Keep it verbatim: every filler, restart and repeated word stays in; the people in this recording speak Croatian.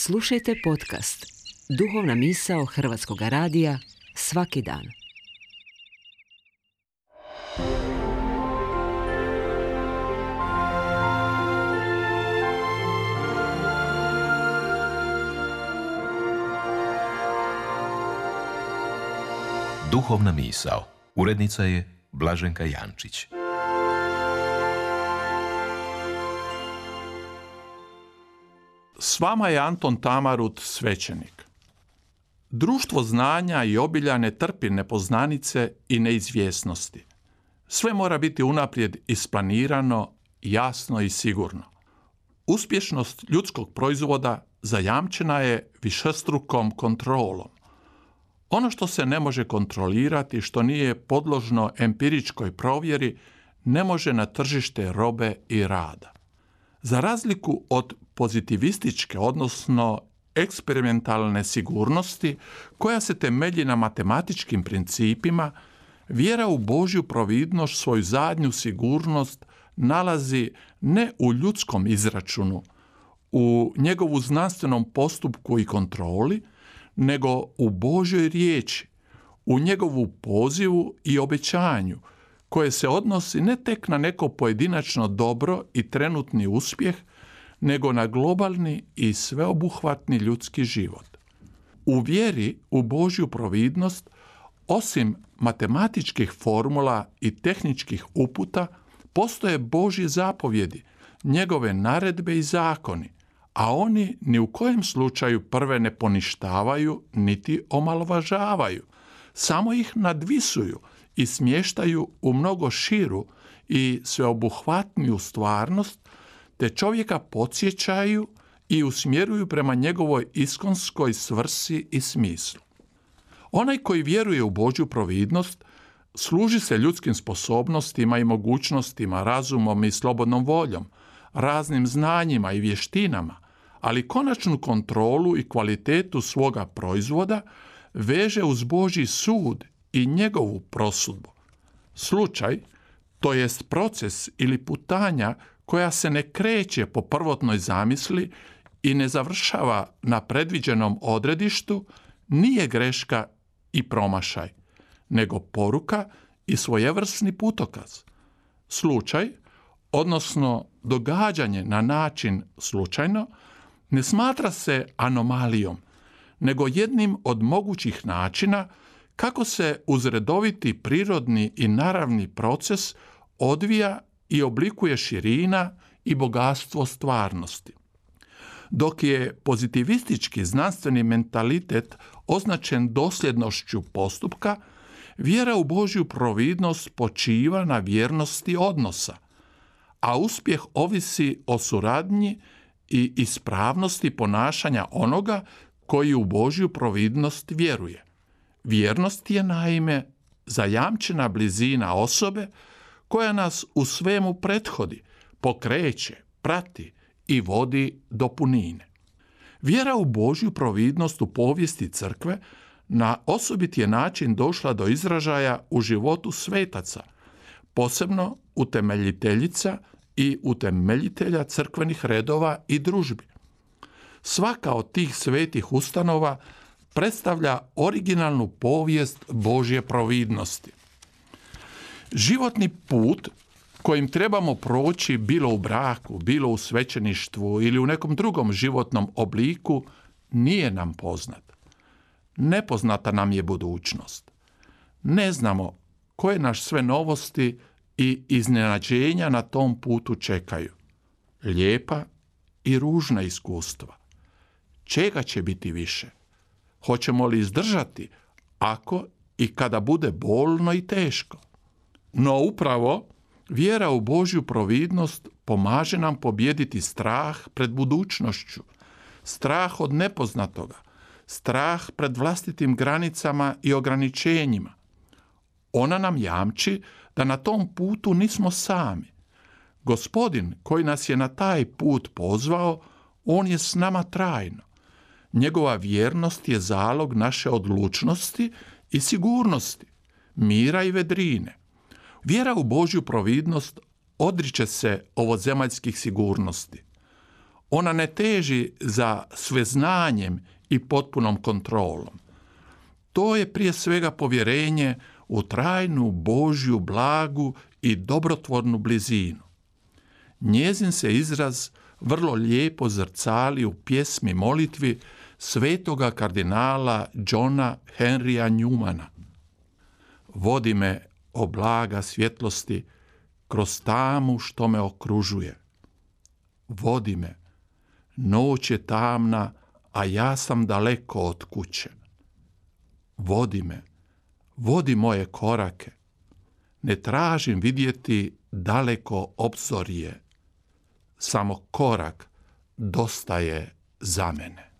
Slušajte podcast Duhovna misao Hrvatskog radija svaki dan. Duhovna misao. Urednica je Blaženka Jančić. S vama je Anton Tamarut, svećenik. Društvo znanja i obilja ne trpi nepoznanice i neizvjesnosti. Sve mora biti unaprijed isplanirano, jasno i sigurno. Uspješnost ljudskog proizvoda zajamčena je višestrukom kontrolom. Ono što se ne može kontrolirati, što nije podložno empiričkoj provjeri, ne može na tržište robe i rada. Za razliku od pozitivističke, odnosno eksperimentalne sigurnosti, koja se temelji na matematičkim principima, vjera u Božju providnost svoju zadnju sigurnost nalazi ne u ljudskom izračunu, u njegovu znanstvenom postupku i kontroli, nego u Božjoj riječi, u njegovu pozivu i obećanju, koje se odnosi ne tek na neko pojedinačno dobro i trenutni uspjeh, nego na globalni i sveobuhvatni ljudski život. U vjeri u Božju providnost, osim matematičkih formula i tehničkih uputa, postoje Božje zapovjedi, njegove naredbe i zakoni, a oni ni u kojem slučaju prve ne poništavaju niti omalovažavaju, samo ih nadvisuju i smještaju u mnogo širu i sveobuhvatniju stvarnost, te čovjeka podsjećaju i usmjeruju prema njegovoj iskonskoj svrsi i smislu. Onaj koji vjeruje u Božju providnost služi se ljudskim sposobnostima i mogućnostima, razumom i slobodnom voljom, raznim znanjima i vještinama, ali konačnu kontrolu i kvalitetu svoga proizvoda veže uz Božji sud i njegovu prosudbu. Slučaj, to jest proces ili putanja koja se ne kreće po prvotnoj zamisli i ne završava na predviđenom odredištu, nije greška i promašaj, nego poruka i svojevrsni putokaz. Slučaj, odnosno događanje na način slučajno, ne smatra se anomalijom, nego jednim od mogućih načina kako se uz redoviti prirodni i naravni proces odvija i oblikuje širina i bogatstvo stvarnosti. Dok je pozitivistički znanstveni mentalitet označen dosljednošću postupka, vjera u Božju providnost počiva na vjernosti odnosa, a uspjeh ovisi o suradnji i ispravnosti ponašanja onoga koji u Božju providnost vjeruje. Vjernost je naime zajamčena blizina osobe koja nas u svemu prethodi, pokreće, prati i vodi do punine. Vjera u Božju providnost u povijesti crkve na osobit je način došla do izražaja u životu svetaca, posebno utemeljiteljica i utemeljitelja crkvenih redova i družbi. Svaka od tih svetih ustanova predstavlja originalnu povijest Božje providnosti. Životni put kojim trebamo proći bilo u braku, bilo u svećeništvu ili u nekom drugom životnom obliku nije nam poznat. Nepoznata nam je budućnost. Ne znamo koje naš sve novosti i iznenađenja na tom putu čekaju. Lijepa i ružna iskustva. Čega će biti više? Hoćemo li izdržati ako i kada bude bolno i teško? No upravo vjera u Božju providnost pomaže nam pobijediti strah pred budućnošću, strah od nepoznatoga, strah pred vlastitim granicama i ograničenjima. Ona nam jamči da na tom putu nismo sami. Gospodin koji nas je na taj put pozvao, on je s nama trajno. Njegova vjernost je zalog naše odlučnosti i sigurnosti, mira i vedrine. Vjera u Božju providnost odriče se ovozemaljskih sigurnosti. Ona ne teži za sveznanjem i potpunom kontrolom. To je prije svega povjerenje u trajnu Božju blagu i dobrotvornu blizinu. Njezin se izraz vrlo lijepo zrcali u pjesmi molitvi svetoga kardinala Johna Henrya Newmana. Vodi me, o blaga svjetlosti, kroz tamu što me okružuje. Vodi me, noć je tamna, a ja sam daleko od kuće. Vodi me, vodi moje korake. Ne tražim vidjeti daleko obzorje. Samo korak dosta je za mene.